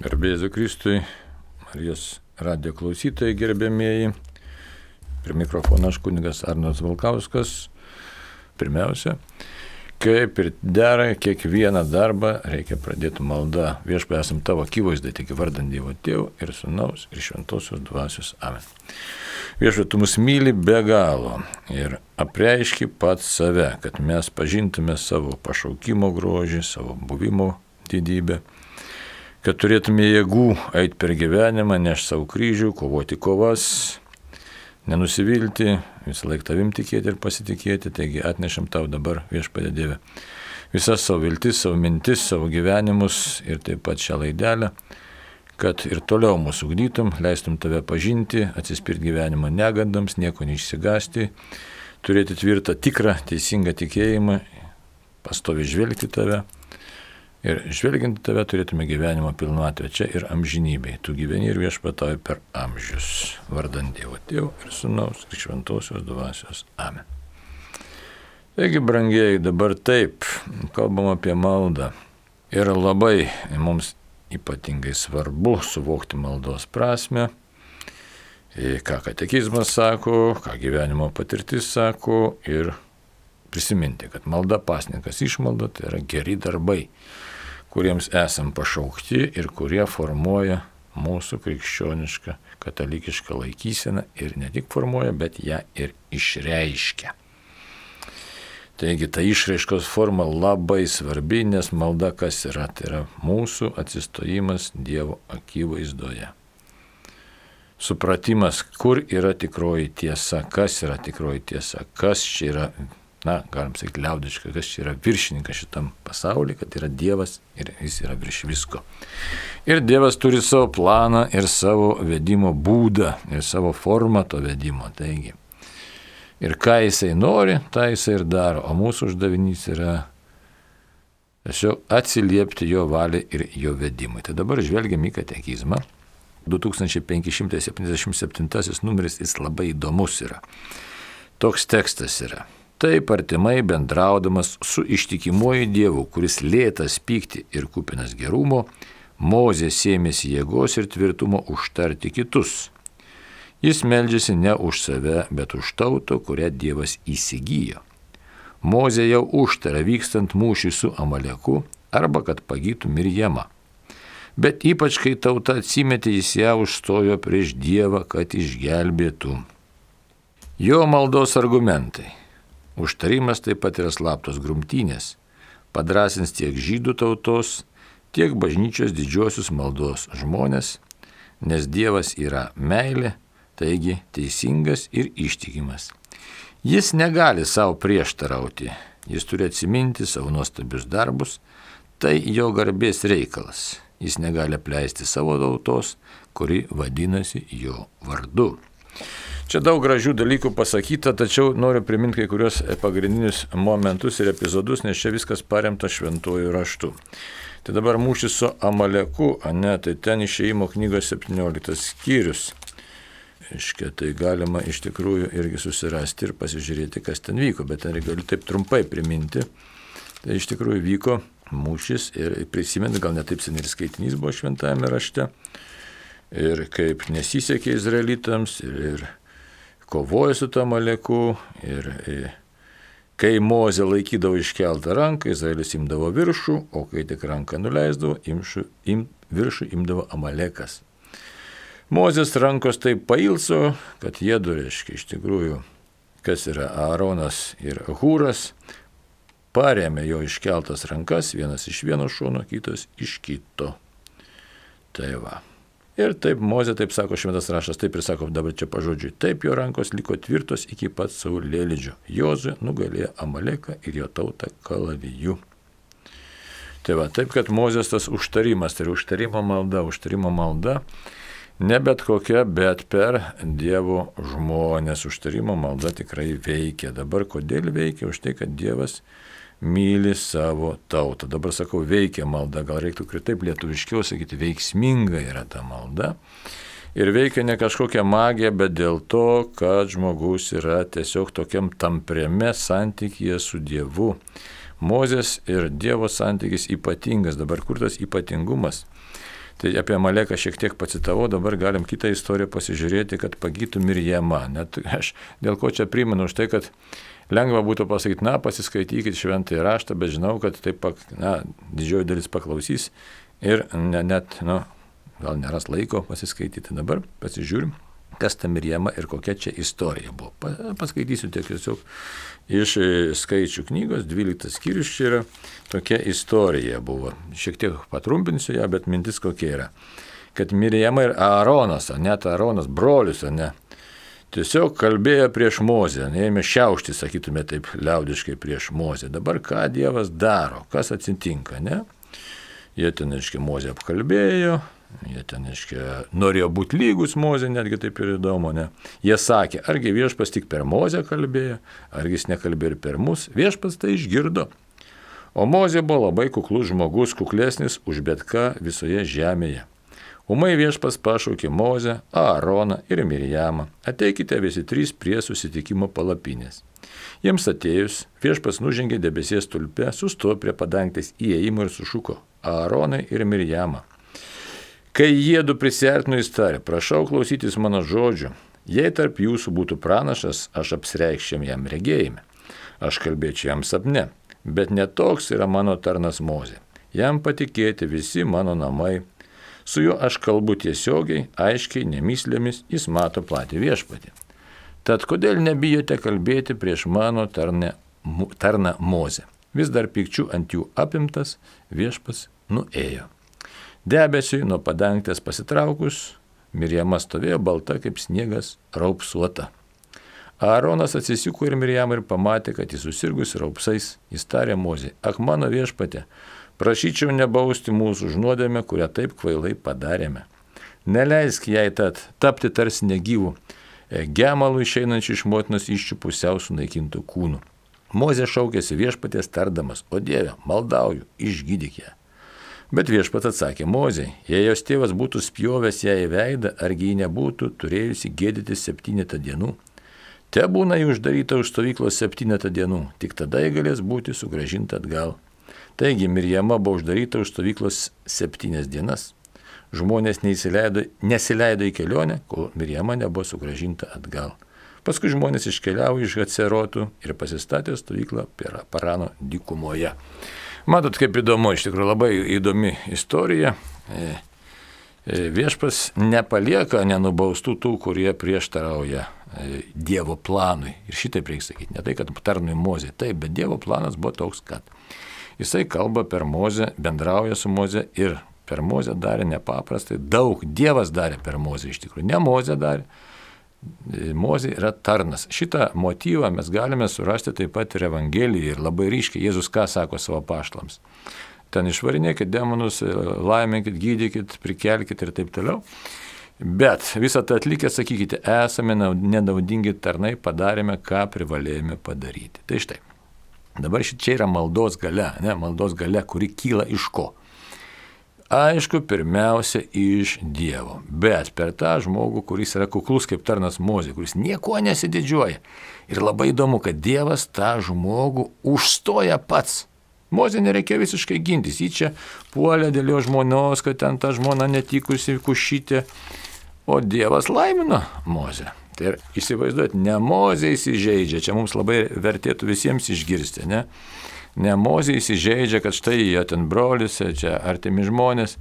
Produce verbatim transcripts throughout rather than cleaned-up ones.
Garbė Jėzui Kristui, Marijos radijo klausytojai gerbėmieji, prie mikrofono aš kunigas Arnas Valkauskas. Pirmiausia, kaip ir dera, kiekvieną darbą reikia pradėti malda. Viešpatie, esam tavo akivaizdai, tik vardant Dievo Tėvo ir Sūnaus ir Šventosios Dvasios. Amen. Viešpatie, tu mus myli be galo ir apreiški pats save, kad mes pažintume savo pašaukimo grožį, savo buvimo didybę, kad turėtume jėgų eiti per gyvenimą, nešti savo kryžių, kovoti kovas, nenusivilti, visą laiką tavim tikėti ir pasitikėti. Taigi atnešam tau dabar, Viešpatie Dieve, visas savo viltis, savo mintis, savo gyvenimus ir taip pat šią laidelę, kad ir toliau mūsų ugdytum, leistum tave pažinti, atsispirti gyvenimo negandams, nieko neišsigąsti, turėti tvirtą, tikrą, teisingą tikėjimą, pastoviai žvelgti tave. Ir žvelgiant tave turėtume gyvenimo pilnatvę čia ir amžinybėj. Tu gyveni ir viešpatauji per amžius. Vardant Dievo Tėvo ir Sūnaus ir Šventosios Dvasios. Amen. Taigi, brangieji, dabar taip, kalbam apie maldą. Ir labai mums ypatingai svarbu suvokti maldos prasme, ką katekizmas sako, ką gyvenimo patirtis sako ir prisiminti, kad malda, pasninkas, išmalda tai yra geri darbai, kuriems esam pašaukti ir kurie formuoja mūsų krikščionišką, katalikišką laikyseną ir ne tik formuoja, bet ją ir išreiškia. Taigi ta išraiškos forma labai svarbi, nes malda kas yra? Tai yra mūsų atsistojimas Dievo akivaizdoje. Supratimas, kur yra tikroji tiesa, kas yra tikroji tiesa, kas čia yra, na, galim sakyti liaudiškai, kas čia yra viršininkas šitam pasaulyje, kad yra Dievas ir jis yra virš visko. Ir Dievas turi savo planą ir savo vedimo būdą ir savo formą to vedimo. Taigi, ir ką jisai nori, tą jisai ir daro, o mūsų uždavinys yra tiesiog atsiliepti jo valiai ir jo vedimui. Tai dabar žvelgiam į katekizmą. du tūkstančiai penki šimtai septyniasdešimt septintasis numeris, jis labai įdomus yra. Toks tekstas yra. Taip artimai bendraudamas su ištikimuoju Dievu, kuris lėtas pykti ir kupinas gerumo, Mozė sėmėsi jėgos ir tvirtumo užtarti kitus. Jis meldžiasi ne už save, bet už tautą, kurią Dievas įsigijo. Mozė jau užtarė vykstant mūšį su Amaleku arba kad pagytų Mirjamą. Bet ypač kai tauta atsimetė, jis ją užstojo prieš Dievą, kad išgelbėtų. Jo maldos argumentai. Užtarimas taip pat yra slaptos grumtynės, padrasins tiek žydų tautos, tiek bažnyčios didžiosius maldos žmonės, nes Dievas yra meilė, taigi teisingas ir ištikimas. Jis negali savo prieštarauti, jis turi atsiminti savo nuostabius darbus, tai jo garbės reikalas, jis negali apleisti savo tautos, kuri vadinasi jo vardu. Čia daug gražių dalykų pasakyta, tačiau noriu priminti kai kurios pagrindinius momentus ir epizodus, nes čia viskas paremta šventuoju raštu. Tai dabar mūšis su Amaleku, ane, tai ten Išėjimo knygos septynioliktas skyrius. Iškia, tai galima iš tikrųjų irgi susirasti ir pasižiūrėti, kas ten vyko, bet ten galiu taip trumpai priminti. Tai iš tikrųjų vyko mūšis ir prisimint, gal ne taip seniai ir skaitinys buvo šventajame rašte. Ir kaip nesisekė izraelitams ir, ir kovojo su tam Amaleku ir, ir kai Mozė laikydavo iškeltą ranką, Izraelis imdavo viršų, o kai tik ranką nuleisdavo, imšu, im, viršų imdavo Amalekas. Mozės rankos taip pailso, kad jie du, reiškia, iš tikrųjų, kas yra Aaronas ir Hūras, parėmė jo iškeltas rankas, vienas iš vieno šono, kitas iš kito. Tai va. Ir taip Mozė, taip sako šventas raštas, taip ir sako dabar čia pažodžiui, taip jo rankos liko tvirtos iki pat saulėlydžio. Jozuė nugalėjo Amaleką ir jo tautą kalaviju. Tai va, taip kad Mozės tas užtarimas, tai užtarimo malda, užtarimo malda, ne bet kokia, bet per Dievo žmonės. Užtarimo malda tikrai veikia. Dabar kodėl veikia? Už tai, kad Dievas myli savo tautą. Dabar sakau, veikia malda, gal reiktų taip lietuviškiau sakyti, veiksminga yra ta malda. Ir veikia ne kažkokia magija, bet dėl to, kad žmogus yra tiesiog tokiam tampriame santykyje su Dievu. Mozės ir Dievo santykis ypatingas. Dabar kur tas ypatingumas? Tai apie Amaleką šiek tiek pacitavau, dabar galim kitą istoriją pasižiūrėti, kad pagytų Mirjama. Net aš dėl ko čia primenu už tai, kad lengva būtų pasakyti, na, pasiskaitykit šventąjį raštą, bet žinau, kad taip, na, didžioji dalis paklausys ir ne, net, nu, gal neras laiko pasiskaityti. Dabar pasižiūrim, kas ta Mirjama ir kokia čia istorija buvo. Paskaitysiu tiesiog iš skaičių knygos, dvyliktas skyrius čia yra, tokia istorija buvo. Šiek tiek patrumpinsiu ją, bet mintis kokia yra. Kad Mirjama ir Aaronas, net Aaronas, brolius, ne, tiesiog kalbėjo prieš Mozę, neėmė šiaušti, sakytume taip liaudiškai, prieš Mozę. Dabar ką Dievas daro, kas atsitinka, ne? Jie ten, aiškiai, Mozę apkalbėjo, jie ten, aiškiai, norėjo būti lygus Mozė, netgi taip ir įdomu, ne? Jie sakė, argi viešpas tik per Mozę kalbėjo, argi jis nekalbėjo ir per mus, viešpas tai išgirdo. O Mozė buvo labai kuklus žmogus, kuklesnis už bet ką visoje žemėje. Ūmai viešpas pašaukė Mozę, Aaroną ir Mirjamą, ateikite visi trys prie susitikimo palapinės. Jiems atėjus, viešpas nužengė debesies stulpe, sustojo prie padangtės įėjimo ir sušuko Aaronai ir Mirjamą. Kai jie du prisiartino, jis tarė, prašau klausytis mano žodžių, jei tarp jūsų būtų pranašas, aš apsireikščiam jam regėjime, aš kalbėčiau jam sapne, bet netoks yra mano tarnas Mozė. Jam patikėti visi mano namai, su juo aš kalbu tiesiogiai, aiškiai, nemyslėmis, jis mato patį viešpatį. Tad kodėl nebijote kalbėti prieš mano tarne, tarną Mozę? Vis dar pykčių ant jų apimtas, viešpas nuėjo. Debesiui nuo padangtės pasitraukus, Mirjama stovėjo balta kaip sniegas, raupsuota. Aaronas atsisuko ir Mirjamą ir pamatė, kad jis susirgus raupsais, jis tarė Mozei, ak mano viešpatė, prašyčiau nebausti mūsų už nuodėmę, kurią taip kvailai padarėme. Neleisk jai tad tapti tarsi negyvų, gemalų išeinančių iš motinos įsčių pusiau sunaikintų kūnų. Mozė šaukėsi viešpatės tardamas, o Dieve, maldauju, išgydyk ją. Bet viešpat atsakė Mozei, jei jos tėvas būtų spjovęs ją į veidą, argi ji nebūtų turėjusi gėdytis septynetą dienų. Te būna jį uždaryta už stovyklos septynetą dienų, tik tada ji galės būti sugrąžinta atgal. Taigi Mirjama buvo uždaryta už stovyklos septynias dienas. Žmonės neįsileido, nesileido į kelionę, kol Mirjama nebuvo sugrąžinta atgal. Paskui žmonės iškeliavo iš Hacerotų ir pasistatė stovyklą Parano dykumoje. Matot, kaip įdomu, iš tikrųjų labai įdomi istorija. Viešpas nepalieka nenubaustų tų, kurie prieštarauja Dievo planui. Ir šitaip reikia sakyti, ne tai, kad tarnui Mozė, taip, bet Dievo planas buvo toks, kad jisai kalba per Mozę, bendrauja su Mozė ir per Mozę darė nepaprastai daug. Dievas darė per Mozę iš tikrųjų, ne Mozė darė. Mozė yra tarnas. Šitą motyvą mes galime surasti taip pat ir Evangelijoje ir labai ryškiai. Jėzus ką sako savo apaštalams? Ten išvarinėkit demonus, laiminkit, gydykit, prikelkit ir taip toliau. Bet visą tą atlikę sakykite, esame nenaudingi tarnai, padarėme, ką privalėjome padaryti. Tai štai. Dabar čia yra maldos galia, ne, maldos galia, kuri kyla iš ko? Aišku, pirmiausia, iš Dievo, bet per tą žmogų, kuris yra kuklus kaip tarnas Mozė, kuris nieko nesididžiuoja. Ir labai įdomu, kad Dievas tą žmogų užstoja pats. Mozė nereikia visiškai gintis, jį čia puolė dėl jo žmonos, kad ten ta žmona netikusi kušytė, o Dievas laimino Mozę. Tai ir įsivaizduot, ne Mozė įsižeidžia, čia mums labai vertėtų visiems išgirsti, ne? Ne Mozė įsižeidžia, kad štai jo ten brolis, čia artimi žmonės,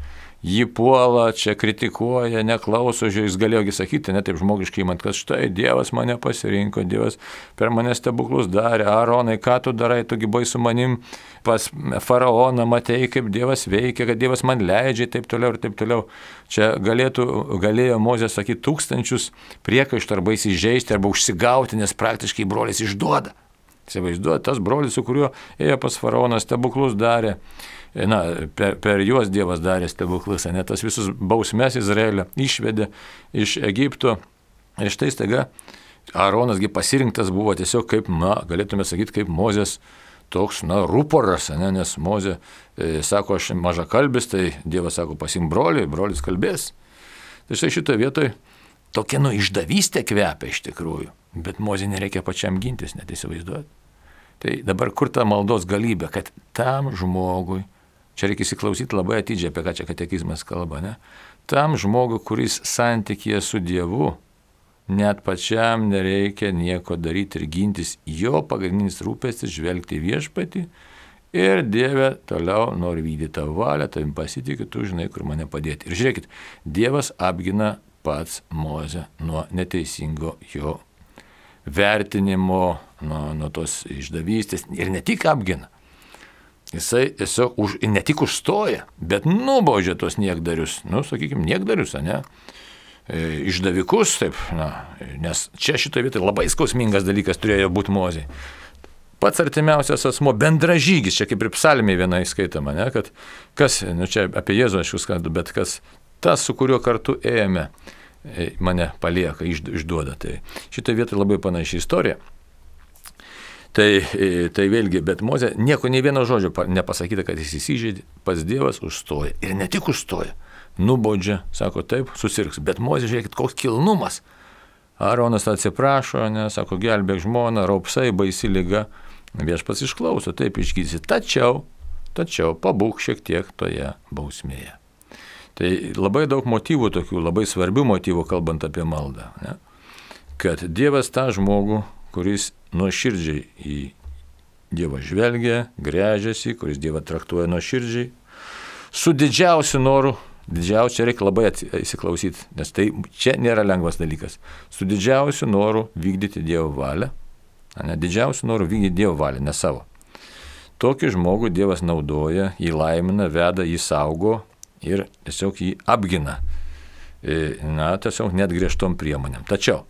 jį puola, čia kritikuoja, neklauso, jis galėjogi sakyti, ne taip žmogiškai įmant, kad štai Dievas mane pasirinko, Dievas per mane stebuklus darė, Aaronai, ką tu darai, tugi buvai su manim pas faraoną, matei, kaip Dievas veikia, kad Dievas man leidžia, taip toliau ir taip toliau. Čia galėtų, galėjo Mozė sakyti tūkstančius priekaištų arba įsižeisti, arba užsigauti, nes praktiškai brolis išduoda. Įsivaizduoja, tas brolis, su kuriuo ėjo pas faraoną, stebuklus darė, na, per, per juos Dievas darė stebuklus, ne, tas visus bausmes Izraelio išvedė iš Egipto. Ir štai staiga Aaronasgi pasirinktas buvo tiesiog kaip, na, galėtume sakyti, kaip Mozės toks, na, ruporas, ne, nes Mozė e, sako, aš mažakalbis, tai Dievas sako, pasim brolį, brolis kalbės. Tai štai šitoje vietoje tokia, nu, išdavystė kvepia iš tikrųjų, bet Mozė nereikia pačiam gintis, net įsivaizduoti. Tai dabar kur ta maldos galybė, kad tam žmogui, čia reikia įsiklausyti labai atidžiai, apie ką čia katekizmas kalba, ne? Tam žmogui, kuris santykėje su Dievu, net pačiam nereikia nieko daryti ir gintis, jo pagrindinis rūpestis žvelgti viešpatį ir Dieve toliau nori vykdyti tavo valią, tavim pasitikiu, tu žinai, kur mane padėti. Ir žiūrėkit, Dievas apgina pats Mozę nuo neteisingo jo vertinimo, nuo, nuo tos išdavystės ir ne tik apgina. Jisai tiesiog už, ne tik užstoja, bet nubaudžia tos niekdarius, nu, sakykime, niekdarius, ne, e, išdavikus, taip, na, nes čia šitoje vietoje labai skausmingas dalykas turėjo būti Mozei. Pats artimiausias asmo, bendražygis, čia kaip ir psalmėje viena įskaitama, ne, kad kas, nu, čia apie Jėzų aš jūs kalbu, bet kas, tas, su kuriuo kartu ėjome, mane palieka, išduoda. Tai šitoje vietoje labai panaši istorija. Tai, tai vėlgi, bet Mozė nieko nei vieno žodžio nepasakyta, kad jis įsižeidė, pats Dievas užstoja. Ir ne tik užstoja, nubaudžia, sako taip, susirgs. Bet Mozė, žiūrėkit, koks kilnumas. Aaronas atsiprašo, ne, sako, gelbėk žmoną, raupsai, baisi liga. Viešpats išklauso, taip išgydysi. Tačiau, tačiau pabūk šiek tiek toje bausmėje. Tai labai daug motyvų tokių, labai svarbių motyvų, kalbant apie maldą. Ne? Kad Dievas tą žmogų, kuris nuoširdžiai į Dievą žvelgia, gręžiasi, kuris Dievą traktuoja nuoširdžiai, su didžiausiu noru, didžiausiu reikia labai įsiklausyti, nes tai čia nėra lengvas dalykas, su didžiausiu noru vykdyti Dievo valią, ne, didžiausiu noru vykdyti Dievo valią, ne savo. Tokį žmogų Dievas naudoja, jį laimina, veda, jį saugo ir tiesiog jį apgina, na, tiesiog net griežtom priemonėm. Tačiau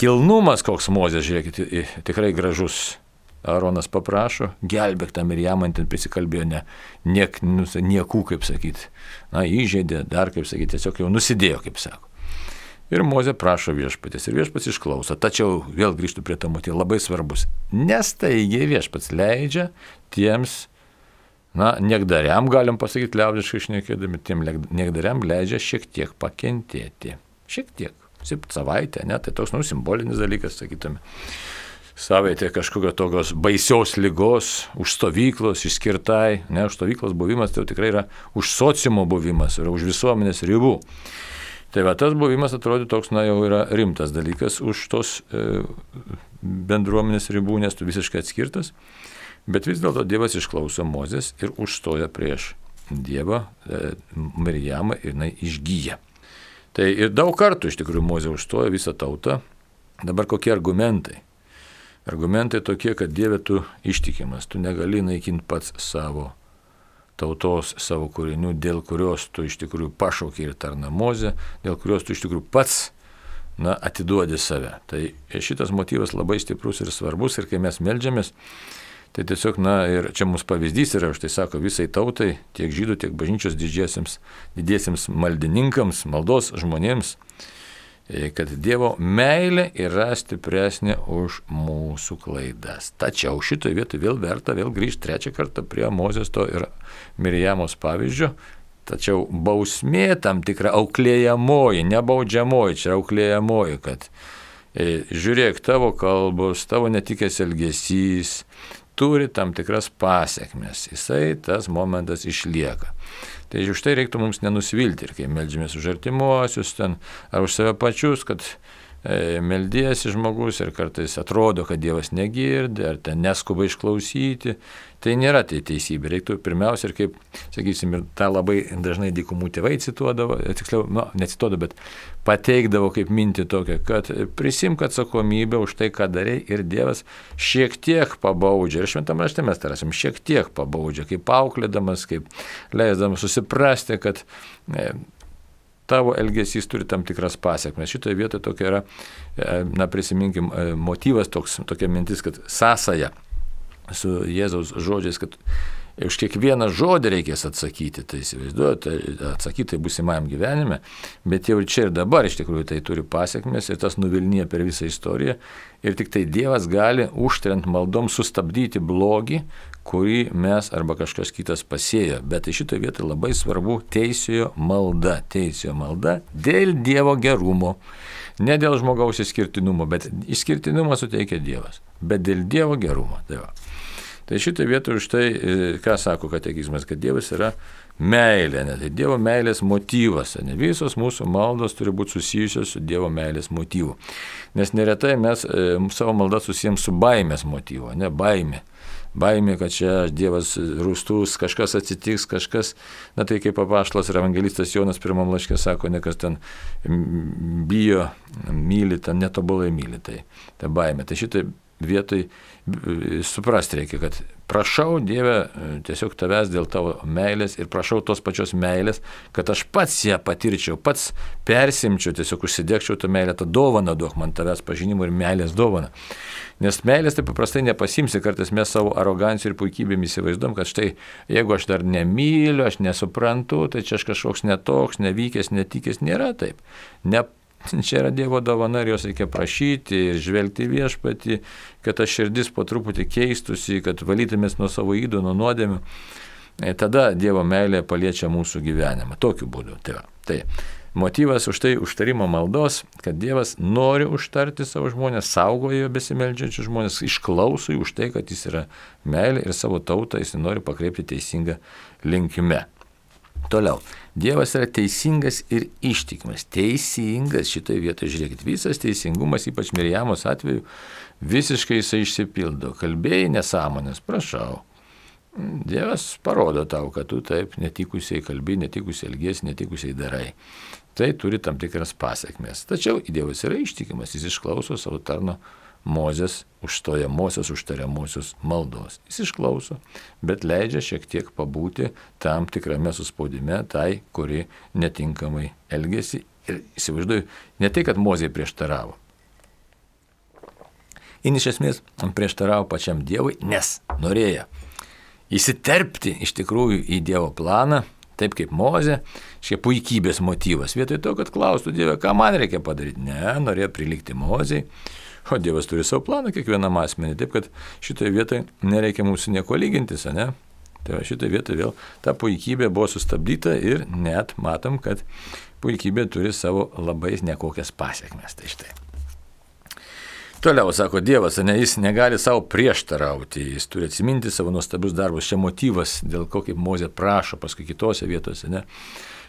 kilnumas koks Mozės, žiūrėkit, tikrai gražus. Aaronas paprašo, gelbėk tą Mirjamą, ten prisikalbėjo ne, niek, nu, niekų, kaip sakyti. Na, įžeidė, dar, kaip sakyti, tiesiog jau nusidėjo, kaip sako. Ir Mozė prašo viešpatės, ir viešpats išklauso. Tačiau vėl grįžtų prie to motyvo, labai svarbus. Nestaigiai viešpats leidžia tiems, na, niekdariam, galim pasakyti liaudiškai šnekėdami, tiem niekdariam leidžia šiek tiek pakentėti. Šiek tiek. Savaitę, ne, tai toks, nu, simbolinis dalykas, sakytume. Savaitė kažkokio tokios baisios ligos, už stovyklos išskirtai, ne, už stovyklos buvimas, tai tikrai yra už sociumo buvimas, yra už visuomenės ribų. Tai va, tas buvimas atrodo toks, na, jau yra rimtas dalykas už tos e, bendruomenės ribų, nes tu visiškai atskirtas, bet vis dėlto Dievas išklauso Mozės ir užstoja prieš Dievą e, Mirjamą ir jinai išgyja. Tai ir daug kartų iš tikrųjų Mozė užstoja visą tautą. Dabar kokie argumentai? Argumentai tokie, kad Dieve tu ištikimas, tu negali naikinti pats savo tautos, savo kūrinių, dėl kurios tu iš tikrųjų pašaukė ir tarna Mozė, dėl kurios tu iš tikrųjų pats, na, atiduodi save. Tai šitas motyvas labai stiprus ir svarbus ir kai mes meldžiamės, tai tiesiog, na, ir čia mūsų pavyzdys yra, už tai sako visai tautai, tiek žydų, tiek bažnyčios didžiesiems, didiesiems maldininkams, maldos žmonėms, kad Dievo meilė yra stipresnė už mūsų klaidas. Tačiau šitoje vietoje vėl verta vėl grįžti trečią kartą prie Mozės to ir Mirjamos pavyzdžio. Tačiau bausmė tam tikra auklėjamoji, nebaudžiamoji, čia auklėjamoji, kad e, žiūrėk, tavo kalbos, tavo netikęs elgesys turi tam tikras pasiekmes. Jisai tas momentas išlieka. Tai už tai reiktų mums nenusivilti ir kai meldžiamės už artimuosius ten, ar už save pačius, kad e, meldiesi žmogus ir kartais atrodo, kad Dievas negirdi, ar ten neskuba išklausyti. Tai nėra tai teisybė. Reiktų pirmiausia ir kaip, sakysim, ir tą labai dažnai dykumų tėvai cituodavo, tiksliau, nu, necituodavo, bet pateikdavo kaip mintį tokią, kad prisimk atsakomybę už tai, ką darai ir Dievas šiek tiek pabaudžia. Ir šventam rašte mes tarasim, šiek tiek pabaudžia, kaip auklėdamas, kaip leisdamas susiprasti, kad e, tavo elgesys turi tam tikras pasiekmes. Šitoje vietoje tokia yra, e, na prisiminkim, e, motyvas toks, tokia mintis, kad sąsaja su Jėzaus žodžiais, kad už kiekvieną žodį reikės atsakyti, tai įsivaizduojate, atsakyti tai būsimajam gyvenime, bet jau ir čia ir dabar iš tikrųjų tai turi pasiekmes ir tas nuvilnija per visą istoriją ir tik tai Dievas gali užtrent maldom sustabdyti blogį, kurį mes arba kažkas kitas pasėjo. Bet tai šitoje vietoje labai svarbu teisiojo malda, teisiojo malda dėl Dievo gerumo, ne dėl žmogaus išskirtinumo, bet išskirtinumą suteikia Dievas, bet dėl Dievo gerumo. Tai va. Tai šitą vietą už tai, ką sako katekizmas, kad Dievas yra meilė, ne? Tai Dievo meilės motyvas, ne? Visos mūsų maldos turi būti susijusios su Dievo meilės motyvu. Nes neretai mes e, savo maldą susijęm su baimės motyvu, ne baimė. Baimė, kad čia Dievas rūstus, kažkas atsitiks, kažkas, na tai kaip apaštalas ir evangelistas Jonas pirmam laiške sako, ne kas ten bijo, myli, ten netobulai myli, tai ta baimė. Tai šitai vietoj suprasti reikia, kad prašau Dieve tiesiog tavęs dėl tavo meilės ir prašau tos pačios meilės, kad aš pats ją patirčiau, pats persimčiau, tiesiog užsidegčiau tą meilę, tą dovaną duok man tavęs pažinimo ir meilės dovaną. Nes meilės tai paprastai nepasimsi, kartais mes savo arogancijų ir puikybėm įsivaizduom, kad štai jeigu aš dar nemyliu, aš nesuprantu, tai čia aš kažkoks netoks, nevykęs, netikęs, nėra taip. Ne Čia yra Dievo dovana ir jos reikia prašyti ir žvelgti Viešpatį, kad ta širdis po truputį keistusi, kad valytumės nuo savo ydų, nuo nuodėmių. Tada Dievo meilė paliečia mūsų gyvenimą. Tokiu būdu. Tai, tai motyvas už tai užtarimo maldos, kad Dievas nori užtarti savo žmonės, saugojo besimeldžiančius žmonės, išklauso jų už tai, kad jis yra meilė ir savo tautą jis nori pakreipti teisingą linkme. Toliau. Dievas yra teisingas ir ištikimas. Teisingas šitoje vietoje, žiūrėkit, visas teisingumas, ypač Mirjamos atveju, visiškai jisai išsipildo. Kalbėjai nesąmonės, prašau. Dievas parodo tau, kad tu taip netikusiai kalbi, netikusiai elgiesi, netikusiai darai. Tai turi tam tikras pasiekmes. Tačiau Dievas yra ištikimas, jis išklauso savo tarno Mozės užstojamosios, užtariamosios maldos. Jis išklauso, bet leidžia šiek tiek pabūti tam tikrame suspaudime tai, kuri netinkamai elgėsi. Ir įsivaizduoju, ne tai, kad Mozė prieštaravo. Jis iš esmės prieštaravo pačiam Dievui, nes norėjo įsiterpti iš tikrųjų į Dievo planą, taip kaip Mozė, šie puikybės motyvas. Vietoj to, kad klaustų Dievą, ką man reikia padaryti. Ne, norėjo prilikti Mozei. O Dievas turi savo planą kiekvienam asmenį, taip kad šitoje vietoje nereikia mūsų nieko lygintis, ne? Tai šitoje vietoje vėl ta puikybė buvo sustabdyta ir net matom, kad puikybė turi savo labai nekokias pasiekmes. Tai štai. Toliau, sako Dievas, ne, jis negali savo prieštarauti, jis turi atsiminti savo nuostabius darbus. Čia motyvas, dėl ko kaip Mozė prašo paskui kitose vietose, ne?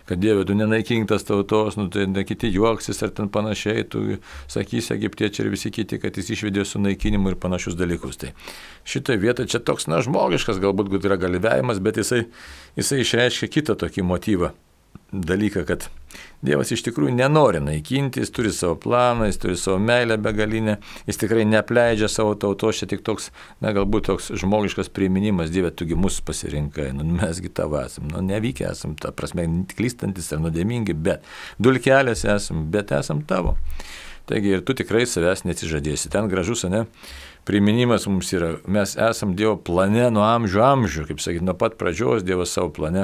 Kad Dieve, tu nenaikink tas tautos, nu, tai ne kiti juoksis ar ten panašiai, tu sakysi egiptiečiai ir visi kiti, kad jis išvedė su naikinimu ir panašius dalykus. Tai šitoje vietoje čia toks, na, žmogiškas galbūt yra galvėjimas, bet jisai, jisai išreiškia kitą tokį motyvą, dalyką, kad Dievas iš tikrųjų nenori naikinti, jis turi savo planą, jis turi savo meilę begalinę, jis tikrai neapleidžia savo tautos, čia tik toks, na, galbūt toks žmogiškas priminimas, Dieve, tugi mus pasirinkai, nu, mesgi tavo esam, nu, nevykę esam, ta prasme, klystantis ar nuodėmingi, bet dulkelės esam, bet esam tavo. Taigi ir tu tikrai savęs neatsižadėsi. Ten gražus, ne? Priminimas mums yra, mes esam Dievo plane nuo amžių amžių, kaip sakyti, nuo pat pradžios Dievas savo plane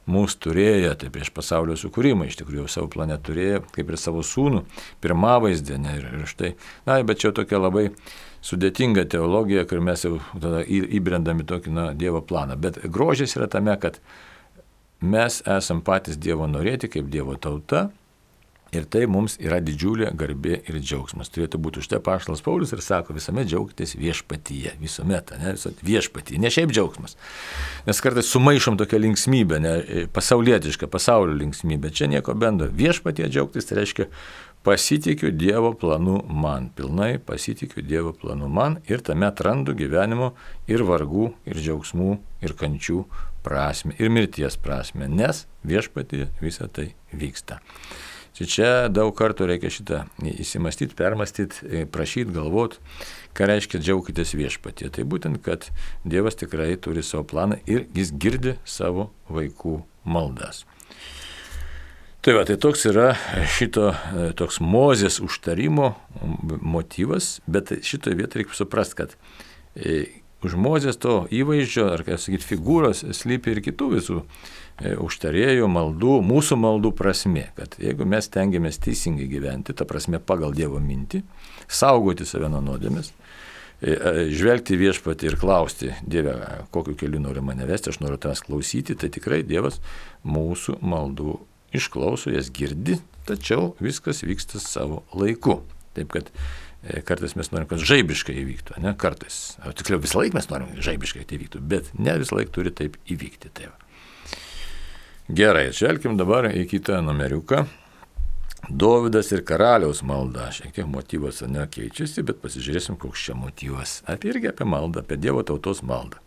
mūsų turėjo, tai prieš pasaulio sukūrimą iš tikrųjų savo plane turėjo, kaip ir savo sūnų, pirmavaizdį, ne, ir, ir štai, na, bet čia tokia labai sudėtinga teologija, kur mes jau tada įbrendami tokį, na, Dievo planą, bet grožis yra tame, kad mes esam patys Dievo norėti kaip Dievo tauta. Ir tai mums yra didžiulė garbė ir džiaugsmas. Turėtų būti už tai apaštalas Paulius ir sako, visuomet džiaugitės viešpatyje, visuomet, ne, visuomet viešpatyje, ne šiaip džiaugsmas. Nes kartais sumaišom tokią linksmybę, ne, pasaulietišką, pasaulio linksmybę, čia nieko bendro. Viešpatyje džiaugtis tai reiškia pasitikiu Dievo planu man, pilnai pasitikiu Dievo planu man ir tame atrandu gyvenimo ir vargų, ir džiaugsmų, ir kančių prasmę, ir mirties prasmę, nes viešpatyje visa tai vyksta. Čia, čia daug kartų reikia šitą įsimastyti, permastyti, prašyti, galvoti, ką reiškia džiaukitės viešpatyje. Tai būtent, kad Dievas tikrai turi savo planą ir jis girdi savo vaikų maldas. Tai va, tai toks yra šito, toks Mozės užtarimo motyvas, bet šitoje vietoje reikia suprasti, kad už Mozės to įvaizdžio, ar, kaip sakyti, figūros slypi ir kitų visų užtarėjų maldų, mūsų maldų prasmė, kad jeigu mes tengiamės teisingai gyventi, ta prasme pagal Dievo mintį, saugoti save nuo nuodėmės, žvelgti viešpatį ir klausti, Dieve, kokiu keliu nori mane vesti, aš noriu tavęs klausyti, tai tikrai Dievas mūsų maldų išklauso, jas girdi, tačiau viskas vyksta savo laiku. Taip kad Kartais mes norim, kad žaibiškai įvyktų, ne? Kartais. O tiksliau, visą laiką mes norim žaibiškai tai įvyktų, bet ne visą laiką turi taip įvykti. Tai gerai, žvelkim dabar į kitą numeriuką. Dovydas ir karaliaus malda. Šiek tiek motyvas nekeičiasi, bet pasižiūrėsim, koks čia motyvas. Apie irgi apie maldą, apie Dievo tautos maldą.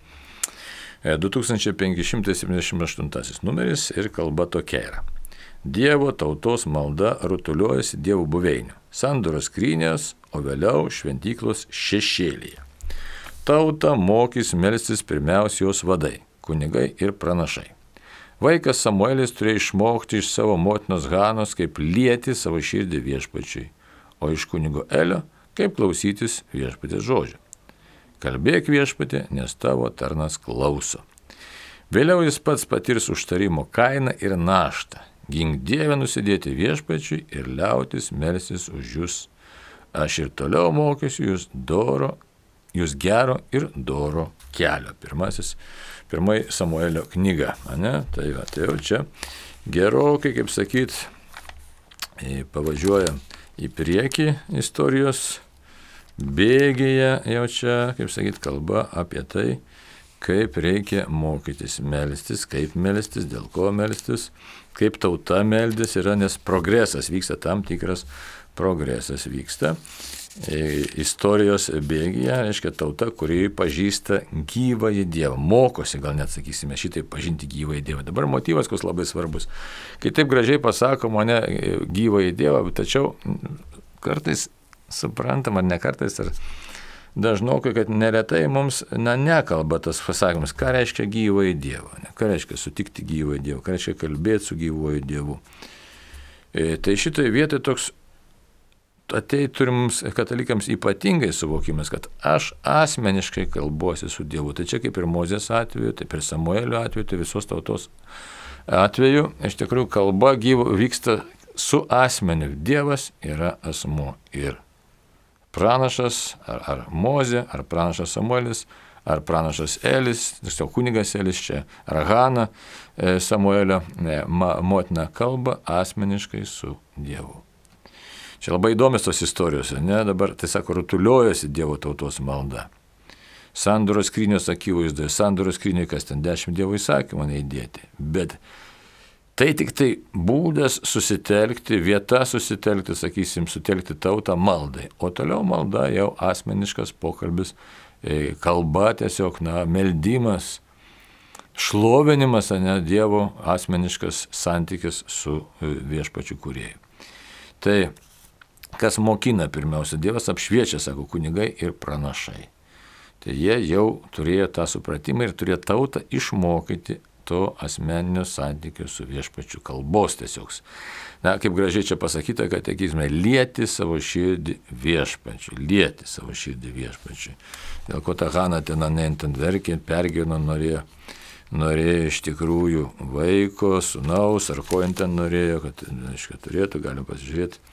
du tūkstančiai penki šimtai septyniasdešimt aštuntasis numeris ir kalba tokia yra. Dievo tautos malda rutuliuojasi Dievo buveinių, sandoros skrynios, o vėliau šventyklos šešėlyje. Tauta mokys melstis pirmiausia jos vadai, kunigai ir pranašai. Vaikas Samuelis turėjo išmokti iš savo motinos Hanos, kaip lieti savo širdį viešpačiui, o iš kunigo Elio, kaip klausytis viešpatės žodžio. Kalbėk viešpatė, nes tavo tarnas klauso. Vėliau jis pats patirs užtarimo kainą ir naštą. Gink Dieve nusidėti viešpačiui ir liautis melstis už jūs. Aš ir toliau mokysiu jūs doro, jūs gero ir doro kelio. Pirmasis, pirmai Samuelio knyga. Ne? Tai, va, tai jau čia gerokai, kaip sakyt, pavažiuoja į priekį istorijos bėgėje, jau čia, kaip sakyt, kalba apie tai, kaip reikia mokytis melstis, kaip melstis, dėl ko melstis, kaip tauta meldis yra, nes progresas vyksta, tam tikras progresas vyksta. E, istorijos bėgyje, reiškia, tauta, kuri pažįsta gyvąjį Dievą, mokosi, gal net sakysime, šitai pažinti gyvąjį Dievą. Dabar motyvas, kas labai svarbus. Kai taip gražiai pasakoma, ne gyvąjį Dievą, tačiau kartais suprantam, ar ne kartais, ar dažnokai, kad neretai mums na, nekalba tas pasakymas, ką reiškia gyvąjį Dievą, ne, ką reiškia sutikti gyvąjį Dievą, ką reiškia kalbėti su gyvąjį Dievu. E, tai šitoje vietoje toks atei turi mums katalikams ypatingai suvokimas, kad aš asmeniškai kalbuosi su Dievu. Tai čia kaip ir Mozės atveju, taip ir Samuelio atveju, tai visos tautos atveju, iš tikrųjų kalba gyvo vyksta su asmeniu. Dievas yra asmuo ir pranašas, ar, ar Mozė, ar pranašas Samuelis, ar pranašas Elis, tiesiog kunigas Elis čia, ar Hana e, Samuelio e, ma, motina kalba asmeniškai su Dievu. Čia labai įdomios tos istorijos, ne, dabar, tai sako, rutuliuojasi Dievo tautos malda. Sandoros skrynios akivaizdoje, sandoros skryniai, kas ten dešimt Dievo įsakymų neįdėti, bet tai tik tai būdas susitelkti, vieta susitelkti, sakysim, sutelkti tautą maldai. O toliau malda jau asmeniškas pokalbis, kalba tiesiog, na, meldimas, šlovinimas, ne, Dievo asmeniškas santykis su viešpačiu kūrėju. Tai, kas mokina pirmiausia, Dievas apšviečia, sako, kunigai ir pranašai. Tai jie jau turėjo tą supratimą ir turėjo tautą išmokyti to asmeninio santykio su viešpačiu, kalbos tiesiog. Na, kaip gražiai čia pasakyta, kad, sakysime, lieti savo širdį viešpačiu, lieti savo širdį viešpačiu. Dėl ko ta Hana ten anentant verkė, pergyveno, norėjo, norėjo iš tikrųjų vaiko, sūnaus, ar ko jin ten norėjo, kad, aišku, turėtų, galim pasižiūrėti.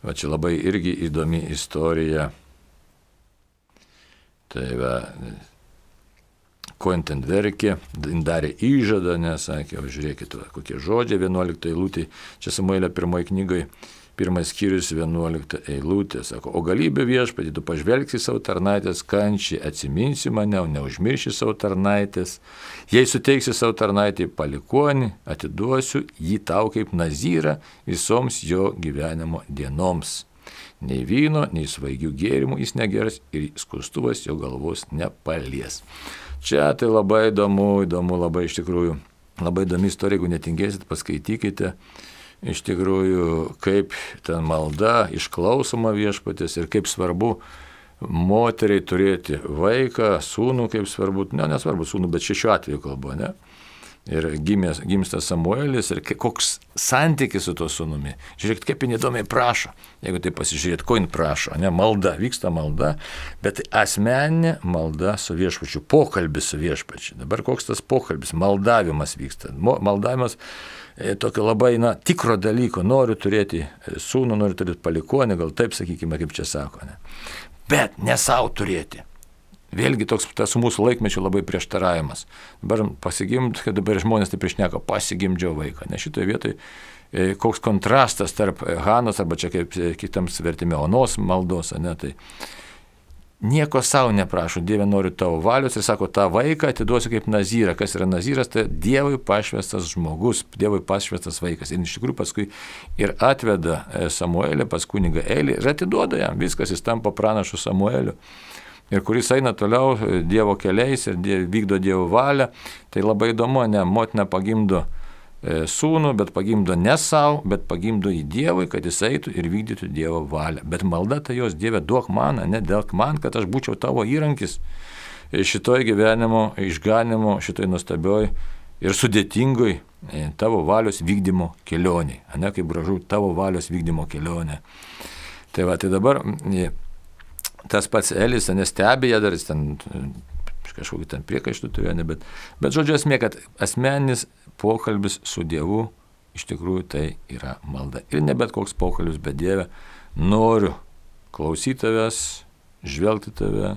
Va čia labai irgi įdomi istorija. Tai va, ko jin ten verkė, jin darė įžadą, nesakė, o žiūrėkit, va, kokie žodžiai, vienuolikta eilutė, čia Samuelio pirmoje knygoje, pirmas skyrius, vienuolikta eilutė, sako, o galybė viešpatį, tu pažvelgsi savo tarnaitės kančiai, atsiminsi mane, o neužmirši savo tarnaitės, jei suteiksi savo tarnaitį palikuonį, atiduosiu jį tau kaip nazyrą visoms jo gyvenimo dienoms. Nei vyno, nei svaigių gėrimų jis negeras ir skustuvas jo galvos nepalies. Čia tai labai įdomu, įdomu labai iš tikrųjų, labai įdomi istorija, jeigu netingėsit, paskaitykite, iš tikrųjų, kaip ten malda išklausoma viešpatės ir kaip svarbu moteriai turėti vaiką, sūnų, kaip svarbu, ne, nesvarbu sūnų, bet šiuo atveju kalbu, ne? Ir gimės, gimsta Samuelis ir koks santykis su to sūnumi. Žiūrėkit, kaip jin įdomiai prašo, jeigu tai pasižiūrėt, ko jin prašo, ne, malda, vyksta malda, bet asmeninė malda su viešpačiu, pokalbis su viešpačiu. Dabar koks tas pokalbis, maldavimas vyksta. Maldavimas e, tokio labai, na, tikro dalyko, noriu turėti sūnų, noriu turėti palikuonį, gal taip sakykime, kaip čia sako, ne. Bet ne savo turėti. Vėlgi toks tas mūsų laikmečio labai prieštaravimas. Dabar pasigimt, kad dabar žmonės taip išneka, pasigimdžiau vaiką. Ne šitoje vietoje koks kontrastas tarp Hanos, arba čia kaip kitams vertime Onos maldos, ne, tai nieko savo neprašo, Dieve noriu tavo valios ir sako, tą vaiką atiduosiu kaip nazyrą. Kas yra nazyras, tai Dievui pašvestas žmogus, Dievui pašvestas vaikas. Ir iš tikrųjų paskui ir atveda Samuelį pas kunigą Elį ir atiduoda jam, viskas, jis tampa pranašu Samueliu. Ir kuris eina toliau Dievo keliais ir diev, vykdo Dievo valią, tai labai įdomu, ne, motina pagimdo sūnų, bet pagimdo ne savo, bet pagimdo į Dievui, kad jis eitų ir vykdytų Dievo valią. Bet malda tai jos, Dieve, duok man, ne dėlk man, kad aš būčiau tavo įrankis šitoj gyvenimo išganimo, šitoj nuostabioj ir sudėtingoj tavo valios vykdymo kelioniai. Ne, kaip gražu, tavo valios vykdymo kelionė. Tai va, tai dabar tas pats Elis, nestebėja dar, jis ten kažkokį ten priekaištų turėjo, ne, bet, bet žodžiu esmė, kad asmeninis pokalbis su Dievu iš tikrųjų tai yra malda. Ir ne bet koks pokalbis, bet Dieve, noriu klausyti tavęs, žvelgti tave,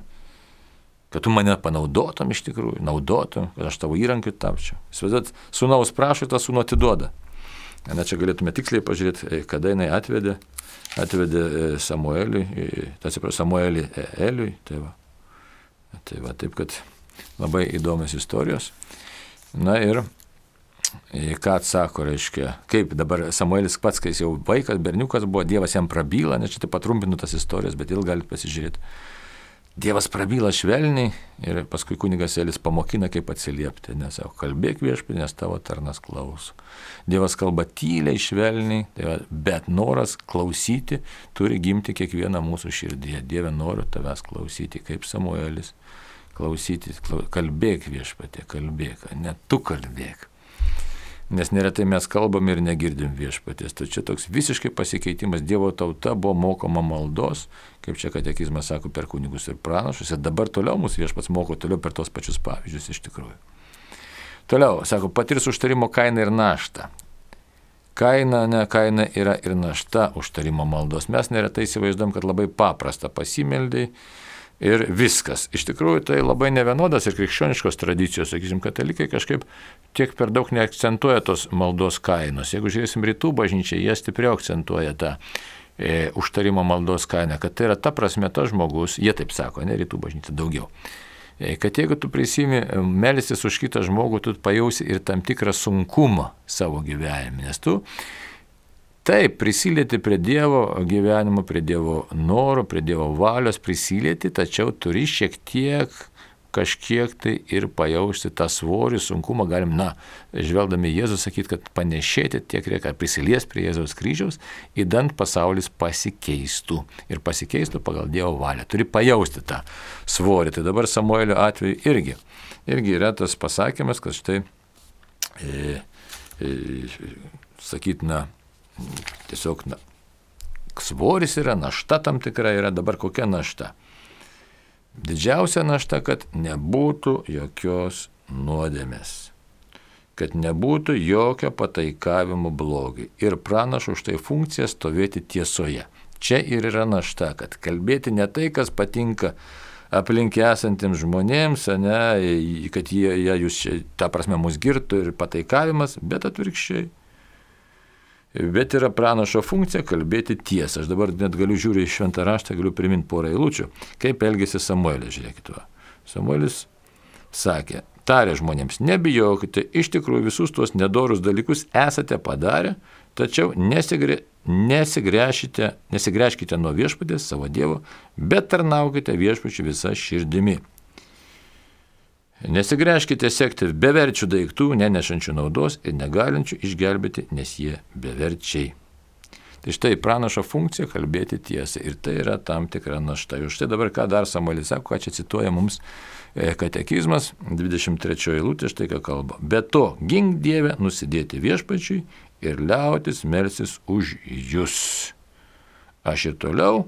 kad tu mane panaudotum iš tikrųjų, naudotum, kad aš tavo įrankiu tapčiau. Įsivaizduot, sūnaus prašo, tą sūnų atiduoda. Na, čia galėtume tiksliai pažiūrėti, kada jinai atvedė, atvedė Samuelį, atsiprašau, Samuelį Eliui, tai va. Tai va, taip, kad labai įdomios istorijos. Na ir ką atsako, reiškia, kaip dabar Samuelis pats, kai jis jau vaikas, berniukas buvo, Dievas jam prabyla, nes čia taip patrumpinu tas istorijas, bet il galite pasižiūrėti. Dievas prabyla švelniai ir paskui kunigas Elis pamokina, kaip atsiliepti, nes sako, kalbėk viešpatie, nes tavo tarnas klauso. Dievas kalba tyliai, švelniai, tai va, bet noras klausyti turi gimti kiekvieną mūsų širdyje. Dieve, noriu tavęs klausyti, kaip Samuelis, klausyti, kalbėk viešpatie, kalbėk, ne tu kalbėk. Nes neretai mes kalbam ir negirdim viešpaties. Tai čia toks visiškai pasikeitimas. Dievo tauta buvo mokoma maldos, kaip čia katekizmas sako, per kunigus ir pranašus. Ir dabar toliau mūsų viešpats moko toliau per tos pačius pavyzdžius iš tikrųjų. Toliau, sako, patirs užtarimo kainą ir naštą. Kaina, ne, kaina yra ir našta užtarimo maldos. Mes neretai įsivaizduom, kad labai paprasta pasimeldai. Ir viskas. Iš tikrųjų, tai labai nevienodas ir krikščioniškos tradicijos, sakysim, katalikai kažkaip tiek per daug neakcentuoja tos maldos kainos. Jeigu žiūrėsim rytų bažnyčią, jie stipriau akcentuoja tą e, užtarimo maldos kainą, kad tai yra ta prasme tas žmogus, jie taip sako, ne rytų bažnyčia daugiau, e, kad jeigu tu prisimi melstis už kitą žmogų, tu pajausi ir tam tikrą sunkumą savo gyvenime, nes tu taip, prisilieti prie Dievo gyvenimo, prie Dievo noro, prie Dievo valios prisilieti, tačiau turi šiek tiek, kažkiek tai ir pajausti tą svorį, sunkumą, galim, na, žvelgdami Jėzų sakyti, kad panešėti tiek reikia, prisilies prie Jėzaus kryžiaus, įdant pasaulis pasikeistų ir pasikeistų pagal Dievo valią. Turi pajausti tą svorį. Tai dabar Samuelio atveju irgi, irgi yra tas pasakymas, kad štai, e, e, sakytina, tiesiog na, svoris yra, našta tam tikra yra, dabar kokia našta? Didžiausia našta, kad nebūtų jokios nuodėmės, kad nebūtų jokio pataikavimo blogiui ir pranašo už tai funkcija stovėti tiesoje. Čia ir yra našta, kad kalbėti ne tai, kas patinka aplink esantiems žmonėms, ne, kad jie, jie jūs čia, ta prasme, mus girtų ir pataikavimas, bet atvirkščiai. Bet yra pranašo funkcija kalbėti tiesą. Aš dabar net galiu žiūrėti į šventą raštą, galiu priminti porą eilučių, kaip elgėsi Samuelis, žiūrėkit. Samuelis sakė, tarė žmonėms, nebijokite, iš tikrųjų visus tuos nedorus dalykus esate padarę, tačiau nesigre, nesigręžkite, nesigręžkite nuo viešpaties savo Dievo, bet tarnaukite viešpačiu visą širdimi. Nesigręžkite sekti beverčių daiktų, nenešančių naudos ir negalinčių išgelbėti, nes jie beverčiai. Tai štai pranašo funkcija kalbėti tiesą ir tai yra tam tikra našta. Ir štai dabar ką dar Samuelis sako, ką čia cituoja mums katekizmas, dvidešimt trečioji eilutė, štai ką kalba. Be to, gink Dieve nusidėti viešpačiui ir liautis melstis už jūs. Aš ir toliau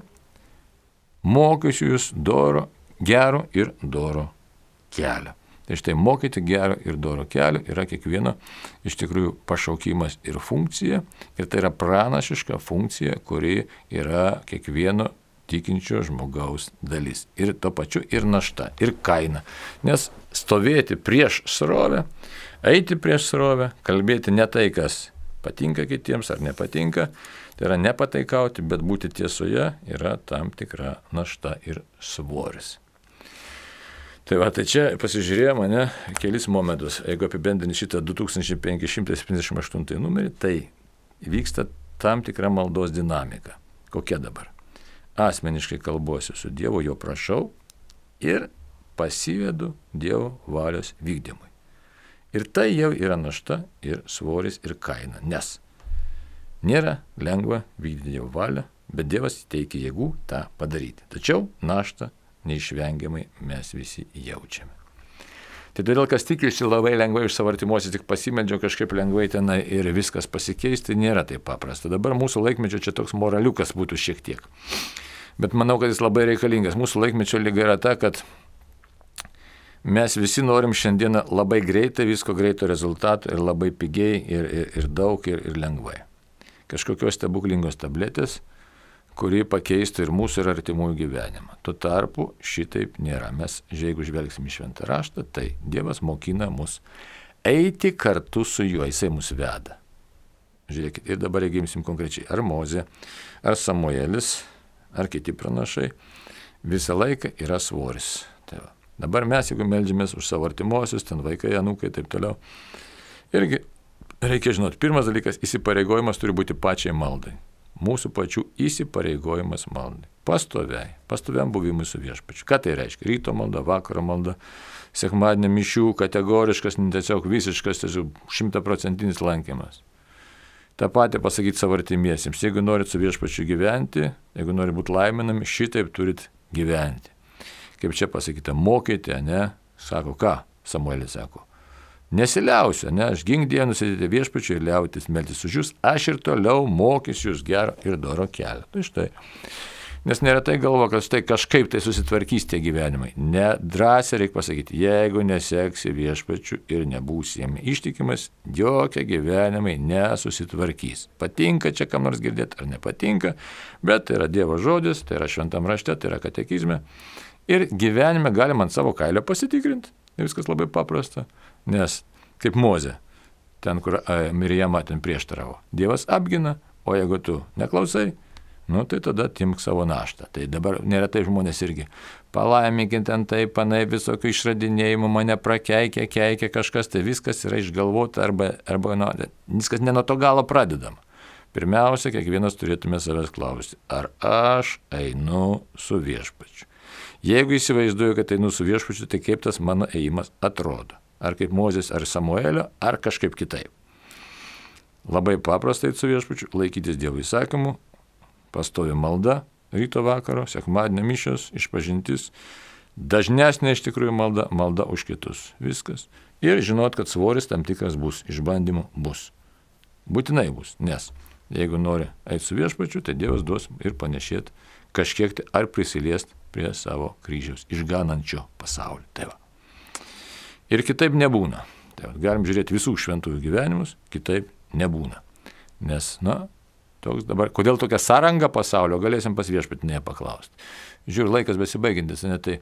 mokysiu jūs doro, gero ir doro kelio. Tai štai mokyti gerą ir dorą kelią yra kiekvieno iš tikrųjų pašaukimas ir funkcija. Ir tai yra pranašiška funkcija, kuri yra kiekvieno tikinčio žmogaus dalis. Ir to pačiu ir našta, ir kaina. Nes stovėti prieš srovę, eiti prieš srovę, kalbėti ne tai, kas patinka kitiems ar nepatinka, tai yra nepataikauti, bet būti tiesoje yra tam tikra našta ir svoris. Tai va, tai čia pasižiūrėjo mane kelis momentus. Jeigu apibendrinti šitą du tūkstančiai penki šimtai septyniasdešimt aštuntą numerį, tai vyksta tam tikra maldos dinamika. Kokia dabar? Asmeniškai kalbuosiu su Dievu, jo prašau ir pasivedu Dievo valios vykdymui. Ir tai jau yra našta ir svoris ir kaina, nes nėra lengva vykdyti Dievo valią, bet Dievas teikia jėgų tą padaryti. Tačiau naštą neišvengiamai mes visi jaučiame. Tai todėl, kas tikisi labai lengvai iš savo artimuosius, tik pasimeldžia kažkaip lengvai tenai ir viskas pasikeisti, nėra taip paprasta. Dabar mūsų laikmečio čia toks moraliukas būtų šiek tiek. Bet manau, kad jis labai reikalingas. Mūsų laikmečio lyga yra ta, kad mes visi norim šiandieną labai greitai, visko greito rezultato ir labai pigiai ir, ir, ir daug ir, ir lengvai. Kažkokios stebuklingos tabletės, kuri pakeistų ir mūsų ir artimųjų gyvenimą. Tuo tarpu šitaip nėra. Mes, jeigu žvelgsim į šventą raštą, tai Dievas mokina mus eiti kartu su juo, jisai mus veda. Žiūrėkit, ir dabar jeigu imsim konkrečiai, ar Mozė, ar Samuelis, ar kiti pranašai, visą laiką yra svoris. Tai va. Dabar mes, jeigu meldžiamės už savo artimuosius, ten vaikai, anūkai ir taip toliau, irgi reikia žinoti, pirmas dalykas, įsipareigojimas turi būti pačiai maldai. Mūsų pačių įsipareigojimas maldai. Pastoviai, pastoviam buvimui su viešpačiu. Ką tai reiškia? Ryto malda, vakaro malda, sekmadienio mišių, kategoriškas, tiesiog visiškas, tiesiog šimtaprocentinis lankymas. Ta patį pasakyti savo artimiesiems. Jeigu norit su viešpačiu gyventi, jeigu norit būti laiminami, šitaip turit gyventi. Kaip čia pasakyta, mokyti, ne? Sako, ką? Samuelis sako. Nesiliausiu, ne? Aš gink Dievą nusėdėti viešpačiu ir liautis meltis už jūs, aš ir toliau mokysiu jūs gero ir doro kelio. Tai štai. Nes neretai galvo, kad štai kažkaip tai susitvarkys tie gyvenimai. Nedrąsiai reikia pasakyti, jeigu neseksi viešpačiu ir nebūsi jam ištikimas, jokie gyvenimai nesusitvarkys. Patinka čia kam nors girdėti ar nepatinka, bet tai yra Dievo žodis, tai yra šventam rašte, tai yra katekizme. Ir gyvenime galima ant savo kailio pasitikrinti. Viskas labai paprasta. Nes kaip Mozė, ten kur Mirijama ten prieštaravo, Dievas apgina, o jeigu tu neklausai, nu tai tada timk savo naštą. Tai dabar neretai žmonės irgi palaiminkint ten taip, panai visokių išradinėjimų, mane prakeikia, keikia kažkas, tai viskas yra išgalvota arba, arba nu, viskas ne nuo to galo pradedama. Pirmiausia, kiekvienas turėtume savęs klausti, ar aš einu su viešpačiu. Jeigu įsivaizduoju, kad einu su viešpačiu, tai kaip tas mano ėjimas atrodo. Ar kaip Mozės, ar Samuelio, ar kažkaip kitaip. Labai paprastai su viešpačiu, laikytis Dievo įsakymų, pastovi malda, ryto vakaro, sekmadienio mišios, išpažintis, dažnesnė iš tikrųjų malda, malda už kitus. Viskas. Ir žinot, kad svoris tam tikras bus, išbandymų bus. Būtinai bus, nes jeigu nori eiti su viešpačiu, tai Dievas duos ir panešėti kažkiek tai ar prisiliest prie savo kryžiaus išganančio pasaulio. Tai va. Ir kitaip nebūna. Tai va, galim žiūrėti visų šventųjų gyvenimus, kitaip nebūna. Nes, na, toks dabar, kodėl tokia sąranga pasaulio, galėsim pas viešpatinėje paklausti. Žiūrėjau, laikas besibaigintis, ne, tai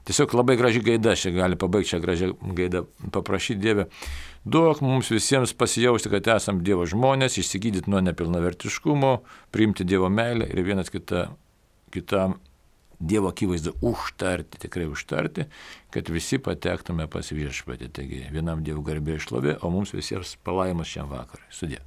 tiesiog labai graži gaida, čia gali pabaigti šią gražią gaidą, paprašyti Dievę. Duok mums visiems pasijausti, kad esam Dievo žmonės, išsigydyti nuo nepilnavertiškumo, priimti Dievo meilę ir vienas kitą, kitam Dievo akivaizdą užtarti, tikrai užtarti, kad visi patektume pas viešpatį. Taigi vienam Dievo garbė šlovė, o mums visiems palaimas šiam vakarui. Sudie.